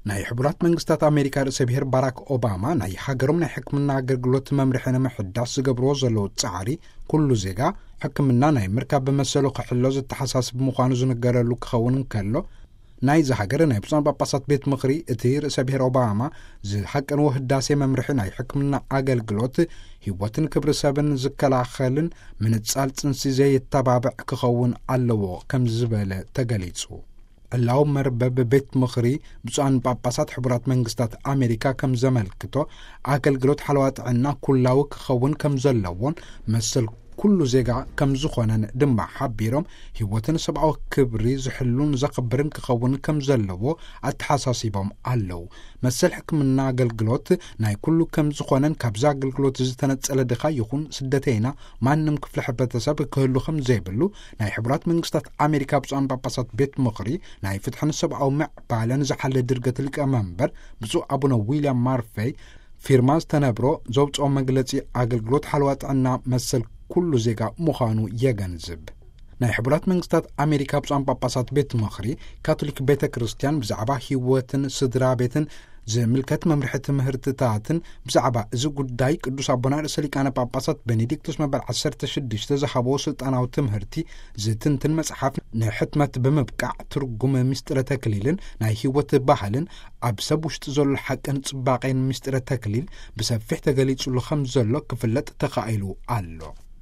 ናይ ሕቡራት መንግስታት ኣሜሪካ ርእሰ ብሔር ባራክ ኦባማ ናይ ሃገሮም ናይ ሕክምና ኣገልግሎት መምርሒ ንምሕዳስ ዝገብርዎ ዘለዉ ጻዕሪ፣ ኩሉ ዜጋ ሕክምና ናይ ምርካብ መሰሉ ክሕሎ ዘተሓሳስብ ምዃኑ ዝንገረሉ ክኸውን እንከሎ፣ ናይዚ ሃገር ናይ ብፁዓን ጳጳሳት ቤት ምኽሪ እቲ ርእሰ ብሔር ኦባማ ዝሃቀንዎ ህዳሴ መምርሒ ናይ ሕክምና ኣገልግሎት ህይወትን ክብሪ ሰብን ዝከላኸልን ምንጻል ጽንሲ ዘየተባብዕ ክኸውን ኣለዎ ከም ዝበለ ተገሊጹ። ዕላዊ መርበብ ቤት ምኽሪ ብፁዓን ጳጳሳት ሕቡራት መንግስታት ኣሜሪካ ከም ዘመልክቶ፣ ኣገልግሎት ሓለዋ ጥዕና ኩላዊ ክኸውን ከም ዘለዎን መሰል ኩሉ ዜጋ ከም ዝኾነን ድማ ሓቢሮም፣ ህይወትን ሰብኣዊ ክብሪ ዝሕሉን ዘኽብርን ክኸውን ከም ዘለዎ ኣተሓሳሲቦም ኣለዉ። መሰል ሕክምና ኣገልግሎት ናይ ኩሉ ከም ዝኾነን ካብዚ ኣገልግሎት ዝተነጸለ ድኻ ይኹን ስደተይና ማንም ክፍሊ ሕብረተሰብ ክህሉ ከም ዘይብሉ ናይ ሕቡራት መንግስታት ኣሜሪካ ብፁዓን ጳጳሳት ቤት ምኽሪ ናይ ፍትሕን ሰብኣዊ ምዕባለን ዝሓለ ድርገት ሊቀ መንበር ብፁዕ ኣቡነ ዊልያም ማርፌይ ፊርማ ዝተነብሮ ዘውፅኦ መግለፂ ኣገልግሎት ሓለዋ ጥዕና መሰል ኩሉ ዜጋ ምዃኑ የገንዝብ። ናይ ሕቡራት መንግስታት ኣሜሪካ ብፁዓን ጳጳሳት ቤት ምኽሪ ካቶሊክ ቤተ ክርስቲያን ብዛዕባ ህይወትን ስድራ ቤትን ዝምልከት መምርሒ ትምህርትታትን ብዛዕባ እዚ ጉዳይ ቅዱስ ኣቦና ርእሰ ሊቃነ ጳጳሳት ቤኔዲክቱስ መበል ዓሰርተ ሽዱሽተ ዝሃብዎ ስልጣናዊ ትምህርቲ ዝትንትን መጽሓፍ ንሕትመት ብምብቃዕ ትርጉም ምስጢረ ተክሊልን ናይ ህይወት ባህልን ኣብ ሰብ ውሽጢ ዘሎ ሓቅን ጽባቄን ምስጢረ ተክሊል ብሰፊሕ ተገሊጹሉ ከም ዘሎ ክፍለጥ ተኻኢሉ ኣሎ።